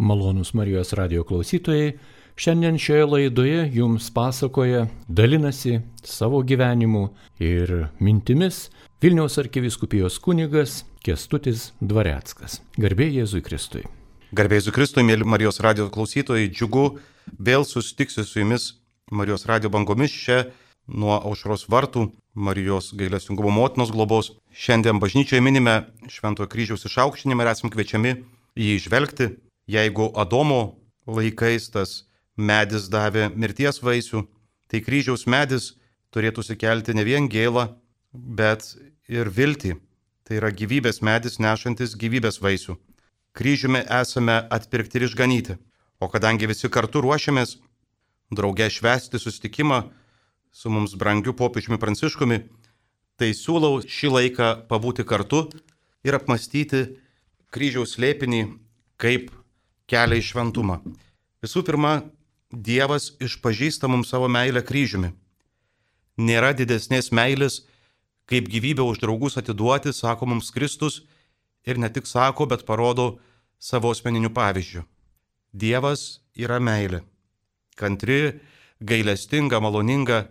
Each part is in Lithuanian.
Malonūs Marijos radio klausytojai, šiandien šioje laidoje jums pasakoja, dalinasi savo gyvenimu ir mintimis Vilniaus arkivyskupijos kunigas Kęstutis Dvareckas. Garbė Jėzui Kristui. Garbė Jėzui Kristui, mėly Marijos radio klausytojai, džiugu vėl susitiksiu su jumis Marijos radio bangomis čia nuo Aušros vartų, Marijos gailestingumo motinos globos. Šiandien bažnyčioje minime Šventojo kryžiaus išaukštinimą ir esame kviečiami jį žvelgti. Jeigu Adomo laikais tas medis davė mirties vaisių, tai kryžiaus medis turėtų sukelti ne vien gėlą, bet ir viltį. Tai yra gyvybės medis nešantis gyvybės vaisių. Kryžiumi esame atpirkti ir išganyti. O kadangi visi kartu ruošiamės drauge švęsti susitikimą su mums brangiu popiežiumi Pranciškumi, tai siūlau šį laiką pabūti kartu ir apmąstyti kryžiaus slėpinį kaip kelią į šventumą. Visų pirma, Dievas išpažįsta mums savo meilę kryžiumi. Nėra didesnės meilės, kaip gyvybę už draugus atiduoti, sako mums Kristus, ir ne tik sako, bet parodo savo asmeniniu pavyzdžiu. Dievas yra meilė. Kantri, gailestinga, maloninga,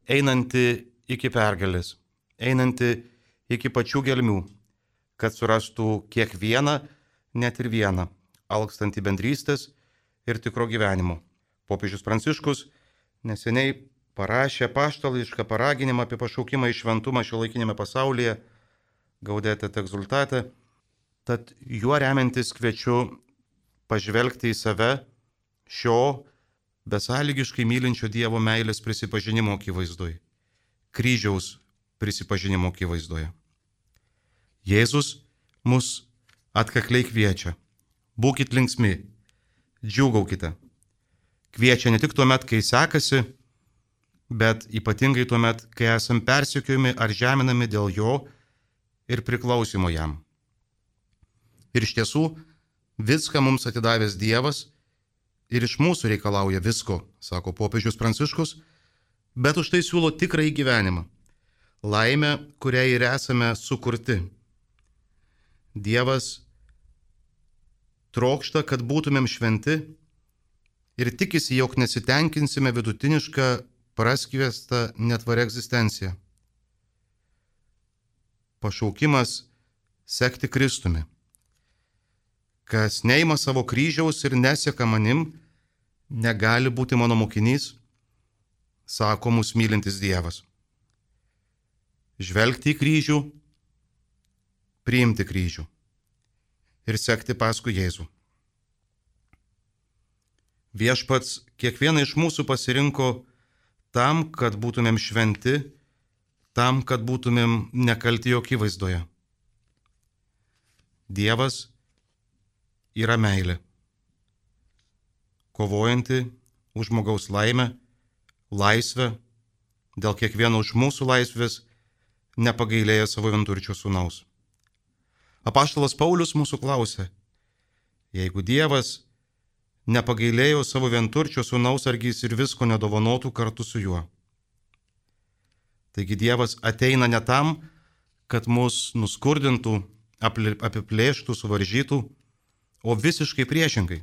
einanti iki pergalės, einanti iki pačių gelmių, kad surastų kiekvieną, net ir vieną, alkstantį bendrystės ir tikro gyvenimo. Popiežius Pranciškus neseniai parašė apaštališką paraginimą apie pašaukimą į šventumą šiuolaikinėme pasaulyje, Gaudete et exsultate, tad juo remiantis kviečiu pažvelgti į save šio besąlygiškai mylinčio Dievo meilės prisipažinimo akivaizdoje, kryžiaus prisipažinimo akivaizdoje. Jėzus mus atkakliai kviečia. Būkit linksmi, džiūgaukite. Kviečia ne tik tuomet, kai sekasi, bet ypatingai tuomet, kai esam persekiojami ar žeminami dėl jo ir priklausimo jam. Ir iš tiesų, viską mums atidavęs Dievas ir iš mūsų reikalauja visko, sako popiežius Pranciškus, bet už tai siūlo tikrąjį gyvenimą, laimę, kuriai ir esame sukurti. Dievas trokšta, kad būtumėm šventi ir tikisi, jog nesitenkinsime vidutinišką, praskviestą, netvarę egzistenciją. Pašaukimas sekti Kristumi. Kas neima savo kryžiaus ir neseka manim, negali būti mano mokinys, sako mus mylintis Dievas. Žvelgti į kryžių, priimti kryžių ir sekti paskui Jėzų. Viešpats kiekvieną iš mūsų pasirinko tam, kad būtumėm šventi, tam, kad būtumėm nekalti jo akivaizdoje. Dievas yra meilė, kovojanti už žmogaus laimę, laisvę, dėl kiekvieno iš mūsų laisvės nepagailėja savo vienturčio sūnaus. Apaštalas Paulius mūsų klausė, jeigu Dievas nepagailėjo savo vienturčio sūnaus, argi jis ir visko nedovanotų kartu su juo. Taigi Dievas ateina ne tam, kad mus nuskurdintų, apiplėštų, suvaržytų, o visiškai priešingai.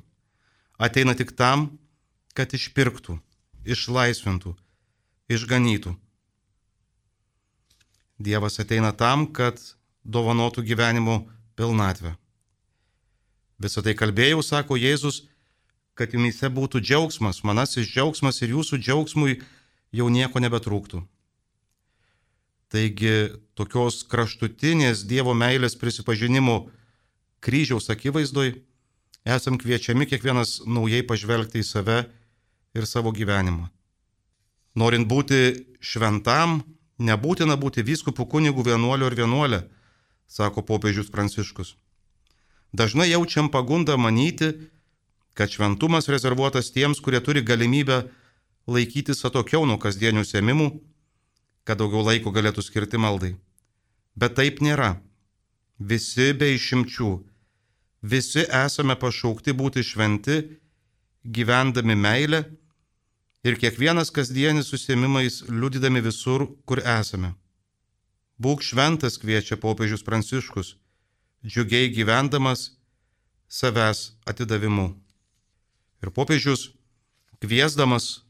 Ateina tik tam, kad išpirktų, išlaisvintų, išganytų. Dievas ateina tam, kad dovanotų gyvenimo pilnatvę. Visą tai kalbėjau, sako Jėzus, kad jumyse būtų džiaugsmas, manasis džiaugsmas ir jūsų džiaugsmui jau nieko nebetrūktų. Taigi tokios kraštutinės Dievo meilės prisipažinimo kryžiaus akivaizdoj esam kviečiami kiekvienas naujai pažvelgti į save ir savo gyvenimą. Norint būti šventam, nebūtina būti vyskupu, kunigu, vienuoliu ar vienuolė, sako popiežius Pranciškus. Dažnai jaučiam pagundą manyti, kad šventumas rezervuotas tiems, kurie turi galimybę laikytis atokiau nuo kasdienių užsiėmimų, kad daugiau laiko galėtų skirti maldai. Bet taip nėra. Visi be išimčių, visi esame pašaukti būti šventi, gyvendami meilę ir kiekvienas kasdienis užsiėmimais liudydami visur, kur esame. Būk šventas, kviečia popiežius Pranciškus, džiugiai gyvendamas savęs atidavimu. Ir popiežius kviesdamas,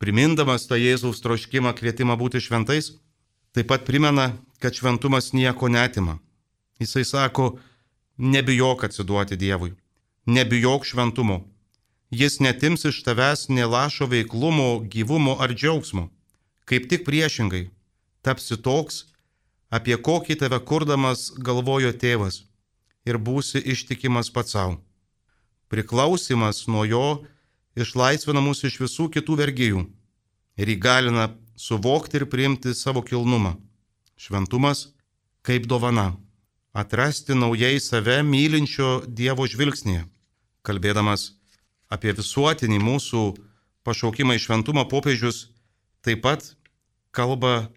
primindamas tą Jėzaus troškimą, kvietimą būti šventais, taip pat primena, kad šventumas nieko neatima. Jisai sako, nebijok atsiduoti Dievui, nebijok šventumo. Jis netims iš tavęs nė lašo veiklumo, gyvumo ar džiaugsmo. Kaip tik priešingai, tapsi toks, apie kokį tave kurdamas galvojo tėvas ir būsi ištikimas pats savo. Priklausimas nuo jo išlaisvina mus iš visų kitų vergijų ir įgalina suvokti ir priimti savo kilnumą. Šventumas kaip dovana. Atrasti naujai save mylinčio Dievo žvilgsnėje. Kalbėdamas apie visuotinį mūsų pašaukimą į šventumą, popiežius taip pat kalba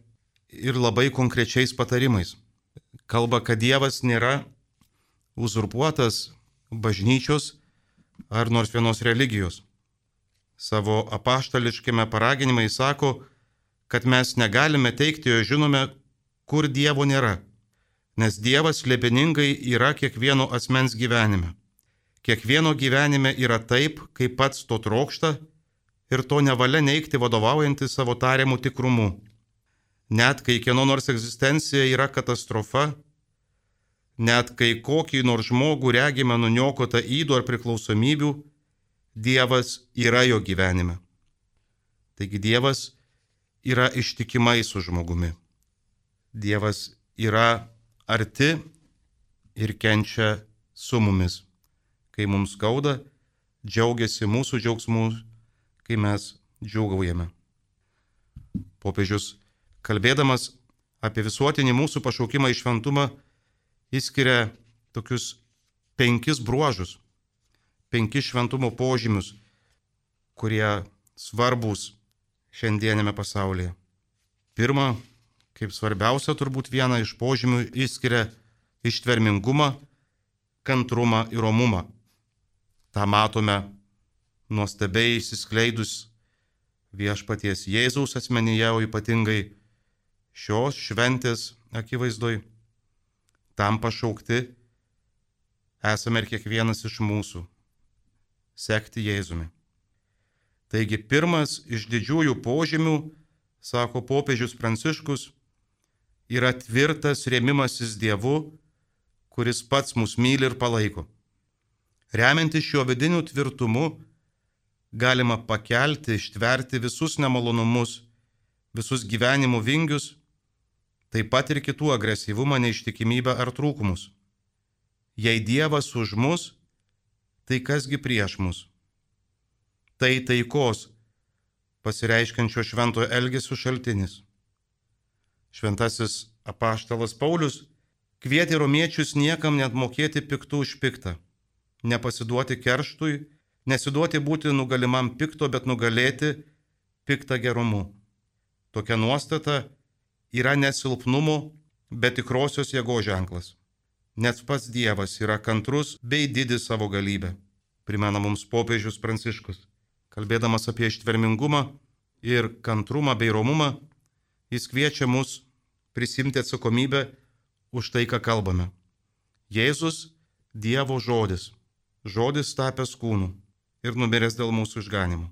ir labai konkrečiais patarimais. Kalba, kad Dievas nėra uzurpuotas bažnyčios ar nors vienos religijos. Savo apaštališkame paraginime jis sako, kad mes negalime teigti, jo žinome, kur Dievo nėra, nes Dievas slėpiningai yra kiekvieno asmens gyvenime. Kiekvieno gyvenime yra taip, kaip pats to trokšta ir to nevalia neigti vadovaujantį savo tariamų tikrumu. Net kai kieno nors egzistencija yra katastrofa, net kai kokį nors žmogų regime nuniokotą ydų ar priklausomybių, Dievas yra jo gyvenime. Taigi Dievas yra ištikimai su žmogumi. Dievas yra arti ir kenčia su mumis. Kai mums skauda, džiaugiasi mūsų džiaugsmu, kai mes džiūgaujame. Popiežius, kalbėdamas apie visuotinį mūsų pašaukimą į šventumą, išskiria tokius 5 bruožus, 5 šventumo požymius, kurie svarbūs šiandienėme pasaulyje. Pirma, kaip svarbiausia turbūt vieną iš požymių išskiria ištvermingumą, kantrumą ir romumą. Ta matome nuostabiai išsiskleidus viešpaties Jėzaus asmenyje, o ypatingai šios šventės akivaizdoj. Tam pašaukti esame ir kiekvienas iš mūsų – sekti Jėzumi. Taigi pirmas iš didžiųjų požymių, sako popiežius Pranciškus, yra tvirtas rėmimasis Dievu, kuris pats mus myli ir palaiko. Remiantis šiuo vidiniu tvirtumu, galima pakelti, ištverti visus nemalonumus, visus gyvenimo vingius, taip pat ir kitų agresyvumą, neištikimybę ar trūkumus. Jei Dievas už mus, tai kasgi prieš mus? Tai taikos, pasireiškiančio šventojo elgesio šaltinis. Šventasis apaštalas Paulius kvietė romiečius niekam net mokėti piktų už piktą, nepasiduoti kerštui, nesiduoti būti nugalimam pikto, bet nugalėti piktą gerumu. Tokia nuostata yra ne silpnumo, bet tikrosios jėgos ženklas. Net pats Dievas yra kantrus bei didis savo galybę, primena mums popiežius Pranciškus. Kalbėdamas apie ištvermingumą ir kantrumą bei romumą, jis kviečia mus prisimti atsakomybę už tai, ką kalbame. Jėzus – Dievo žodis, žodis tapęs kūnu ir numiręs dėl mūsų išganimo.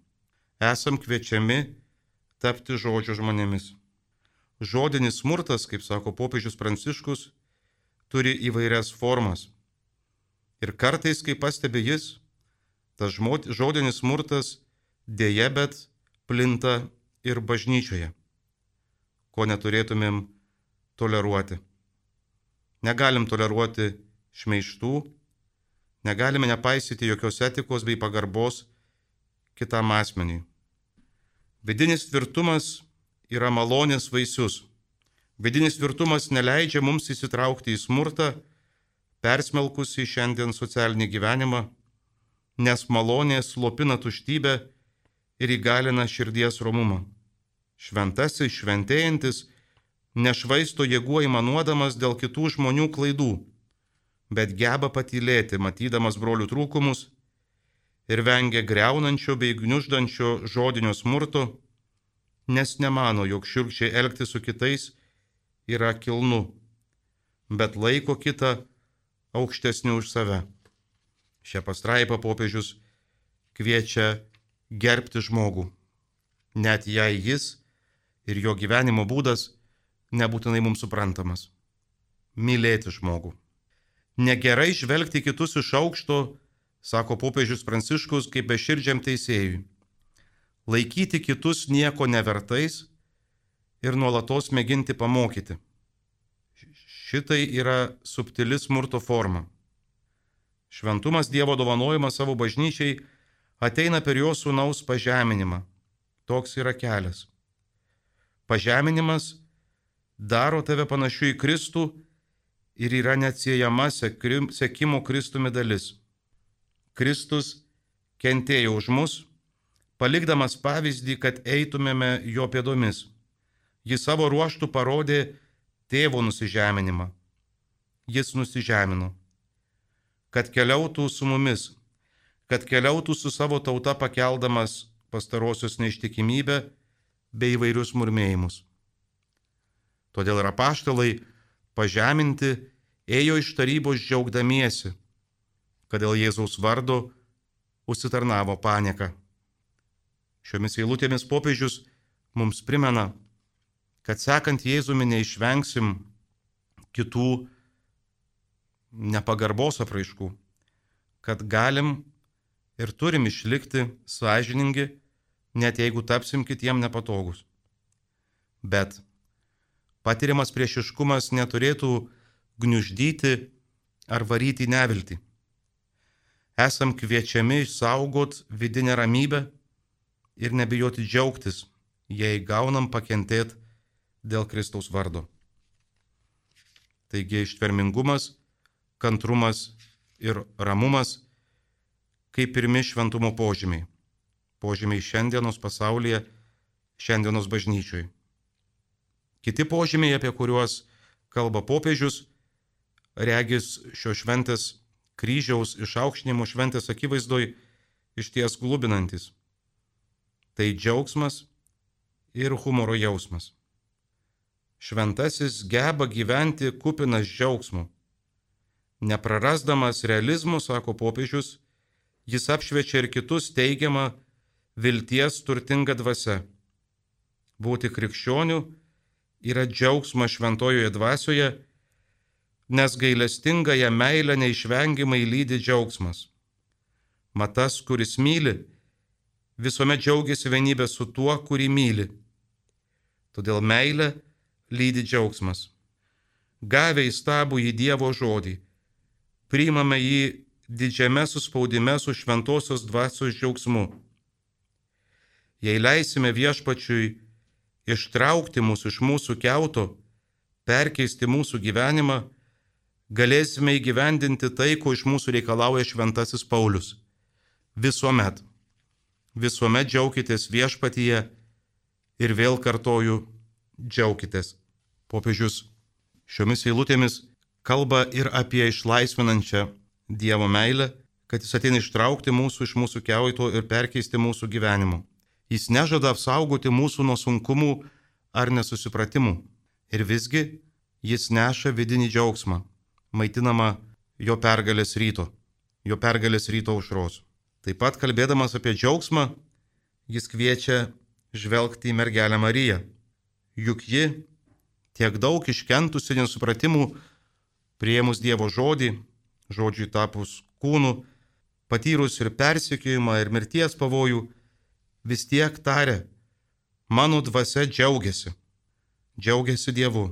Esam kviečiami tapti žodžio žmonėmis. Žodinis smurtas, kaip sako popiežius Pranciškus, turi įvairias formas. Ir kartais, kaip pastebi jis, tas žodinis smurtas dėja, bet plinta ir bažnyčioje, ko neturėtumėm toleruoti. Negalim toleruoti šmeižtų, negalime nepaisyti jokios etikos bei pagarbos kitam asmeniui. Vidinis tvirtumas yra malonės vaisius. Vidinis tvirtumas neleidžia mums įsitraukti į smurtą, persmelkusį šiandien socialinį gyvenimą, nes malonė slopina tuštybę ir įgalina širdies romumą. Šventasis, šventėjantis, nešvaisto jėgų aimanuodamas dėl kitų žmonių klaidų, bet geba patylėti, matydamas brolių trūkumus ir vengia griaunančio bei gniuždančio žodinio smurto, nes nemano, jog šiurkščiai elgtis su kitais yra kilnu, bet laiko kitą aukštesniu už save. Šią pastraipą popiežius kviečia gerbti žmogų, net jei jis ir jo gyvenimo būdas nebūtinai mums suprantamas. Mylėti žmogų. Negerai žvelgti kitus iš aukšto, sako popiežius Pranciškus, kaip beširdžiam teisėjui. Laikyti kitus nieko nevertais ir nuolatos mėginti pamokyti. Šitai yra subtili smurto forma. Šventumas Dievo dovanojimas savo bažnyčiai ateina per jo sūnaus pažeminimą. Toks yra kelias. Pažeminimas daro tave panašiu į Kristų ir yra neatsiejama sekimo Kristumi dalis. Kristus kentėjo už mus, palikdamas pavyzdį, kad eitumėme jo pėdomis. Jis savo ruožtų parodė tėvo nusižeminimą. Jis nusižemino, kad keliautų su mumis, kad keliautų su savo tauta pakeldamas pastarosios neištikimybę bei įvairius murmėjimus. Todėl ir apaštalai pažeminti ėjo iš tarybos džiaugdamiesi, kad dėl Jėzaus vardo užsitarnavo panieką. Šiomis eilutėmis popiežius mums primena, kad sekant Jėzumi neišvengsim kitų nepagarbos apraiškų, kad galim ir turim išlikti sąžiningi, net jeigu tapsim kitiem nepatogus. Bet patiriamas priešiškumas neturėtų gniuždyti ar varyti į neviltį. Esam kviečiami išsaugot vidinę ramybę ir nebijoti džiaugtis, jei gaunam pakentėti dėl Kristaus vardo. Taigi ištvermingumas, kantrumas ir ramumas kaip pirmi šventumo požymiai. Požymiai šiandienos pasaulyje, šiandienos bažnyčioj. Kiti požymiai, apie kuriuos kalba popiežius, regis šio šventės kryžiaus išaukštinimo šventės akivaizdoj išties glubinantis. Tai džiaugsmas ir humoro jausmas. Šventasis geba gyventi kupinas džiaugsmo. Neprarasdamas realizmo, sako popiežius, jis apšviečia ir kitus teigiamą vilties turtingą dvasią. Būti krikščioniu yra džiaugsmas šventojoje dvasioje, nes gailestingąją meilę neišvengiamai lydi džiaugsmas. Mat tas, kuris myli, visuomet džiaugiasi vienybę su tuo, kurį myli. Todėl meilę lydi džiaugsmas. Gavę įstabų į Dievo žodį, priimame jį didžiame suspaudime su šventosios dvasios džiaugsmu. Jei leisime Viešpačiui ištraukti mus iš mūsų kiauto, perkeisti mūsų gyvenimą, galėsime įgyvendinti tai, ko iš mūsų reikalauja šventasis Paulius. Visuomet džiaukitės Viešpatyje ir vėl kartoju, džiaukitės. Popiežius šiomis eilutėmis kalba ir apie išlaisvinančią Dievo meilę, kad jis ateina ištraukti mūsų iš mūsų kiauto ir perkeisti mūsų gyvenimu. Jis nežada apsaugoti mūsų nuo sunkumų ar nesusipratimų. Ir visgi jis neša vidinį džiaugsmą, maitinamą jo pergalės ryto aušros. Taip pat kalbėdamas apie džiaugsmą, jis kviečia žvelgti į mergelę Mariją. Juk ji tiek daug iškentusi nesupratimų, priėmus Dievo žodį, žodžiui tapus kūnu, patyrus ir persekiojimą, ir mirties pavojų, vis tiek tarė, mano dvasia džiaugiasi Dievu.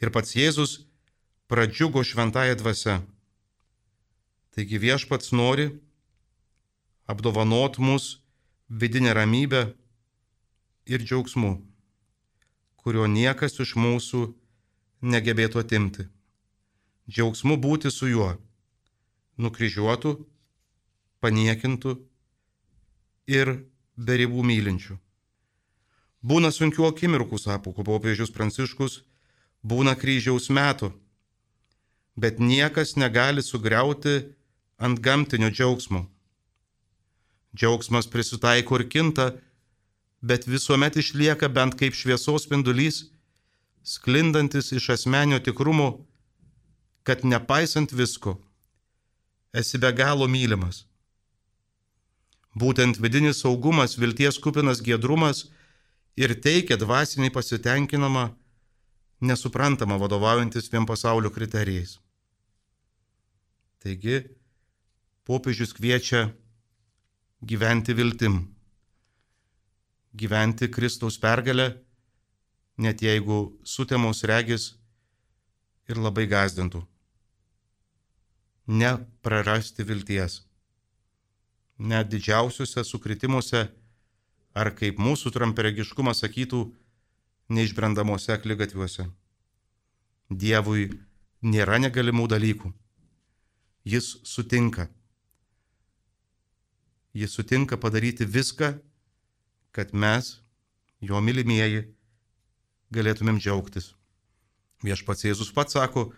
Ir pats Jėzus pradžiugo šventąją dvasią. Taigi Viešpats nori apdovanot mus vidinę ramybę ir džiaugsmu, kurio niekas iš mūsų negebėtų atimti. Džiaugsmu būti su juo, nukryžiuotų, paniekintų ir be ribų mylinčių. Būna sunkių akimirkų, sako popiežius Pranciškus, būna kryžiaus metų, bet niekas negali sugriauti antgamtinio džiaugsmo. Džiaugsmas prisitaiko ir kinta, bet visuomet išlieka bent kaip šviesos spindulys, sklindantis iš asmenio tikrumo, kad nepaisant visko, esi be galo mylimas. Būtent vidinis saugumas, vilties kupinas giedrumas ir teikia dvasinį pasitenkinimą, nesuprantama vadovaujantis vien pasaulio kriterijais. Taigi, popiežius kviečia gyventi viltim, gyventi Kristaus pergalę, net jeigu sutemos regis ir labai gąsdintų. Neprarasti vilties. Net didžiausiuose sukritimuose, ar kaip mūsų trumparegiškumas sakytų, neišbrendamuose akligatviuose. Dievui nėra negalimų dalykų. Jis sutinka. Jis sutinka padaryti viską, kad mes, jo mylimieji, galėtumėm džiaugtis. Viešpats Jėzus pats sako,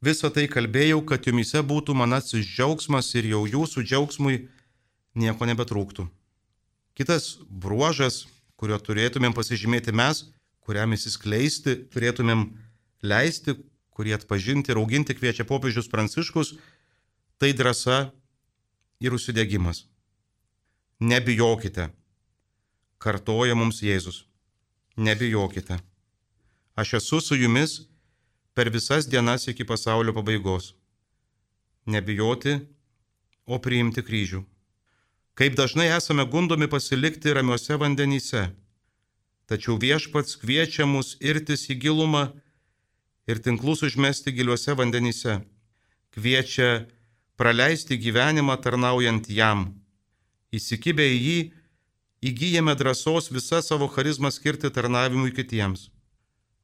visą tai kalbėjau, kad jumise būtų manasis džiaugsmas ir jau jūsų džiaugsmui nieko nebetrūktų. Kitas bruožas, kurio turėtumėm pasižymėti mes, kuriam įsiskleisti, turėtumėm leisti, kurį atpažinti ir auginti kviečia popiežius Pranciškus, tai drąsa ir užsidegimas. Nebijokite, kartoja mums Jėzus. Nebijokite. Aš esu su jumis per visas dienas iki pasaulio pabaigos. Nebijoti, o priimti kryžių. Kaip dažnai esame gundomi pasilikti ramiuose vandenyse, tačiau Viešpats kviečia mus irtis į gilumą ir tinklus užmesti giliuose vandenyse. Kviečia praleisti gyvenimą tarnaujant jam. Įsikibę į jį, įgyjame drąsos visą savo charizmą skirti tarnavimui kitiems.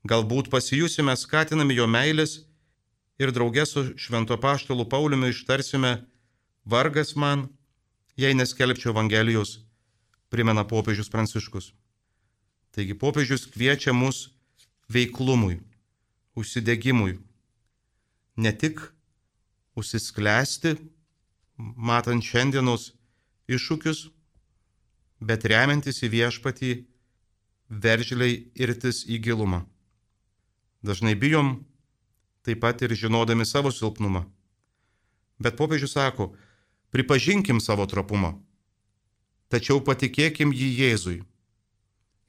Galbūt pasijusime skatinami jo meilės ir drauge su švento apaštalu Pauliumi ištarsime, vargas man, jei neskelbčiau Evangelijos, primena popiežius Pranciškus. Taigi popiežius kviečia mus veiklumui, užsidegimui. Ne tik užsisklęsti, matant šiandienos iššūkius, bet remiantis į Viešpatį, veržliai irtis į gilumą. Dažnai bijom, taip pat ir žinodami savo silpnumą. Bet popiežius sako, pripažinkim savo trapumą, tačiau patikėkim jį Jėzui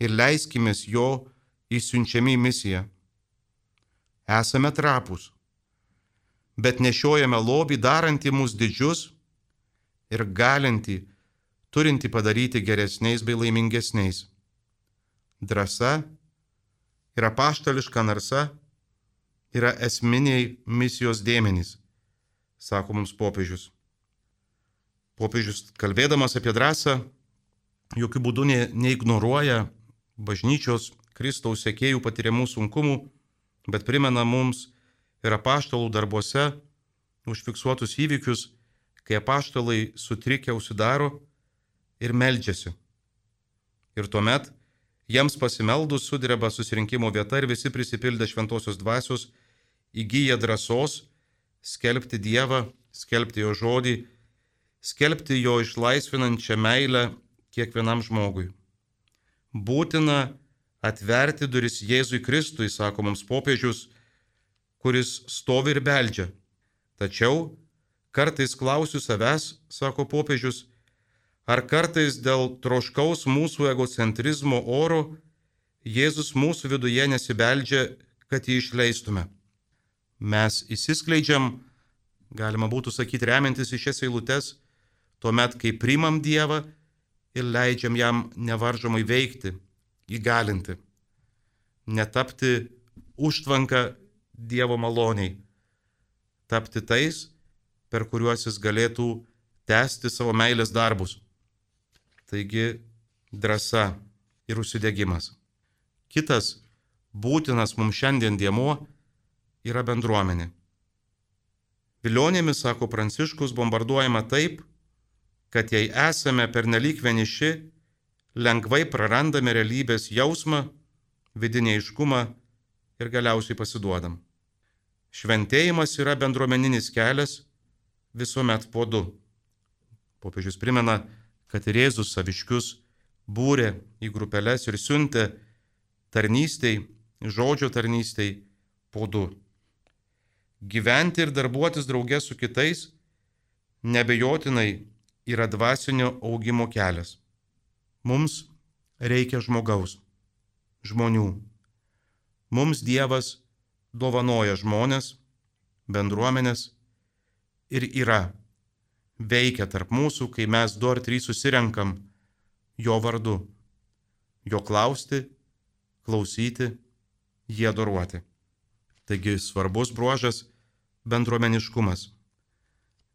ir leiskimės jo įsiunčiami į misiją. Esame trapūs, bet nešiojame lobį darantį mus didžius ir galintį, turinti padaryti geresniais bei laimingesniais. Drąsa ir apaštališka narsa yra esminiai misijos dėmenys, sako mums popiežius. Popiežius, kalbėdamas apie drąsą, jokių būdų neignoruoja bažnyčios Kristaus sekėjų patiriamų sunkumų, bet primena mums ir apaštalų darbuose užfiksuotus įvykius, kai apaštalai sutrikę užsidaro ir meldžiasi. Ir tuomet jiems pasimeldus sudreba susirinkimo vieta ir visi prisipildę šventosios dvasios įgyja drąsos skelbti Dievą, skelbti jo žodį, skelbti jo išlaisvinančią meilę kiekvienam žmogui. Būtina atverti duris Jėzui Kristui, sako mums popiežius, kuris stovi ir beldžia. Tačiau kartais klausiu savęs, sako popiežius, ar kartais dėl troškaus mūsų egocentrizmo oro Jėzus mūsų viduje nesibeldžia, kad jį išleistume. Mes įsiskleidžiam, galima būtų sakyti, remiantis į šias eilutes, tuomet, kai priimam Dievą ir leidžiam jam nevaržomai veikti, įgalinti, netapti užtvanką Dievo maloniai, tapti tais, per kuriuos jis galėtų tęsti savo meilės darbus. Taigi drąsa ir užsidegimas. Kitas būtinas mums šiandien dėmuo yra bendruomenė. Vilionėmis, sako Pranciškus, bombarduojama taip, kad jei esame pernelyg vieniši, lengvai prarandame realybės jausmą, vidinį aiškumą ir galiausiai pasiduodam. Šventėjimas yra bendruomeninis kelias visuomet po du. Popiežius primena, kad ir Jėzus saviškius būrė į grupeles ir siuntė tarnystei, žodžio tarnystei po du. Gyventi ir darbuotis drauge su kitais nebejotinai yra dvasinio augimo kelias. Mums reikia žmogaus, žmonių. Mums Dievas dovanoja žmonės, bendruomenės ir veikia tarp mūsų, kai mes 2 ar 3 susirenkam jo vardu, jo klausti, klausyti, jį adoruoti. Taigi svarbus bruožas - bendruomeniškumas.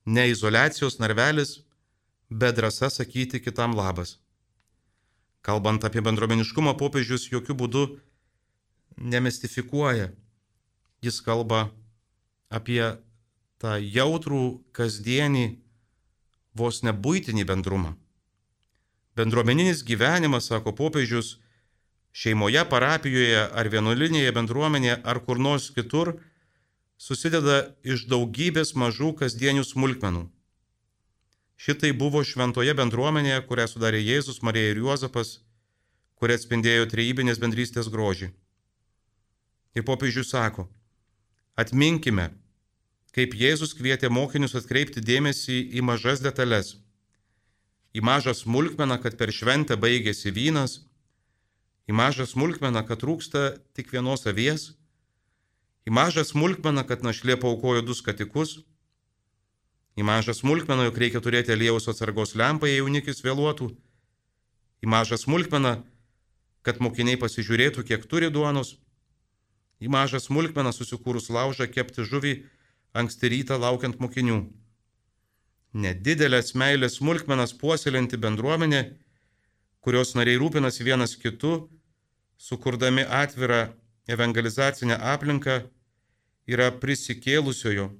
Ne izoliacijos narvelis, bet drąsa sakyti kitam labas. Kalbant apie bendruomeniškumą, popiežius jokių būdų nemistifikuoja. Jis kalba apie tą jautrų, kasdienį, vos ne buitinį bendrumą. Bendruomeninis gyvenimas, sako popiežius, šeimoje, parapijoje ar vienuolinėje bendruomenėje ar kur nors kitur, susideda iš daugybės mažų kasdienių smulkmenų. Šitai buvo šventoje bendruomenėje, kurią sudarė Jėzus, Marija ir Juozapas, kurie atspindėjo trejybinės bendrystės grožį. Ir popiežius sako, atminkime, kaip Jėzus kvietė mokinius atkreipti dėmesį į mažas detalės, į mažą smulkmeną, kad per šventę baigėsi vynas, į mažą smulkmeną, kad trūksta tik vienos avies, į mažą smulkmeną, kad našlė paaukojo 2 skatikus, į mažą smulkmeną, jog reikia turėti aliejaus atsargos lempą, jei jaunikis vėluotų, į mažą smulkmeną, kad mokiniai pasižiūrėtų, kiek turi duonos, į mažą smulkmeną susikūrus laužą kepti žuvį anksti rytą laukiant mokinių. Nedidelės meilės smulkmenas puoselinti bendruomenė, kurios nariai rūpinasi vienas kitu, sukurdami atvirą evangelizacinę aplinką, yra prisikėlusiojo,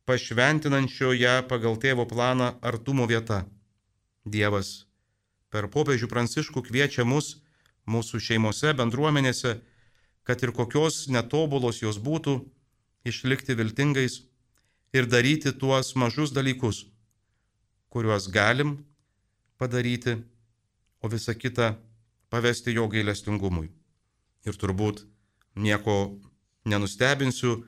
pašventinančio ją pagal tėvo planą artumo vieta. Dievas per popiežių Pranciškų kviečia mus, mūsų šeimose, bendruomenėse, kad ir kokios netobulos jos būtų, išlikti viltingais ir daryti tuos mažus dalykus, kuriuos galim padaryti, o visą kitą pavesti jo gailestingumui. Ir turbūt nieko nenustebinsiu,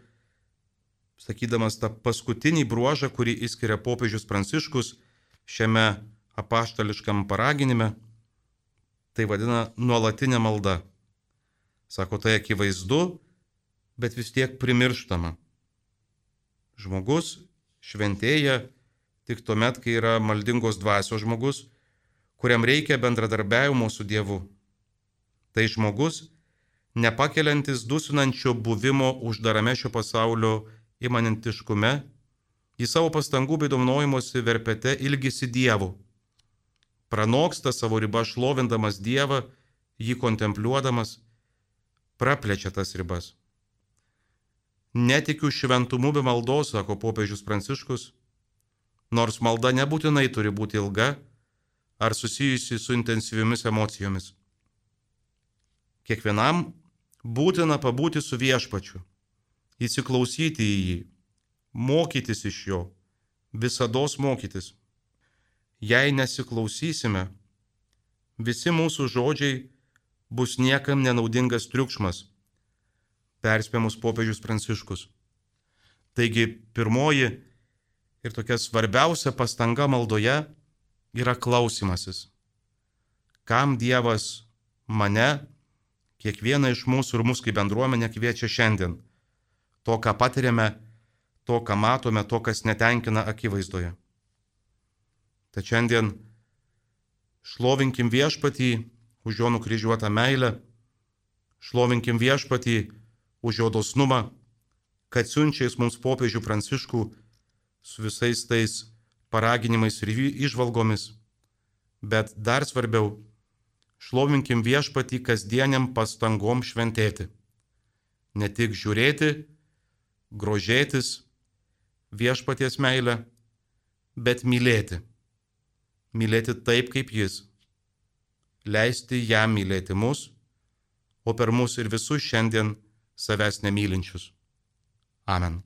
sakydamas tą paskutinį bruožą, kurį išskiria popiežius Pranciškus šiame apaštališkam paraginime, tai vadina nuolatinė malda. Sako, tai akivaizdu, bet vis tiek primirštama. Žmogus šventėja tik tuomet, kai yra maldingos dvasios žmogus, kuriam reikia bendradarbiavimo su Dievu. Tai žmogus, nepakeliantis dusinančio buvimo uždarame šio pasaulio imanentiškume, į savo pastangų bei dovanojimuose verpete ilgisi Dievu. Pranoksta savo ribą šlovindamas Dievą, jį kontempliuodamas, praplečia tas ribas. Netikiu šventumu be maldos, sako popiežius Pranciškus, nors malda nebūtinai turi būti ilga ar susijusi su intensyviomis emocijomis. Kiekvienam būtina pabūti su viešpačiu, įsiklausyti į jį, mokytis iš jo, visados mokytis. Jei nesiklausysime, visi mūsų žodžiai bus niekam nenaudingas triukšmas, perspėja mus popiežius Pranciškus. Taigi pirmoji ir tokia svarbiausia pastanga maldoje yra klausymasis. Kam Dievas mane, kiekvieną iš mūsų ir mus kaip bendruomenę kviečia šiandien? To, ką patiriame, to, ką matome, to, kas netenkina akivaizdoje. Tad šiandien šlovinkim viešpatį už jo nukryžiuotą meilę, šlovinkim viešpatį už jo dosnumą, kad siunčiais mums popiežių Pranciškų su visais tais paraginimais ir įžvalgomis, bet dar svarbiau, šlovinkim viešpatį kasdieniam pastangom šventėti. Ne tik žiūrėti, grožėtis viešpaties meilę, bet mylėti. Mylėti taip, kaip jis. Leisti jam mylėti mus, o per mus ir visus šiandien savęs nemylinčius. Amen.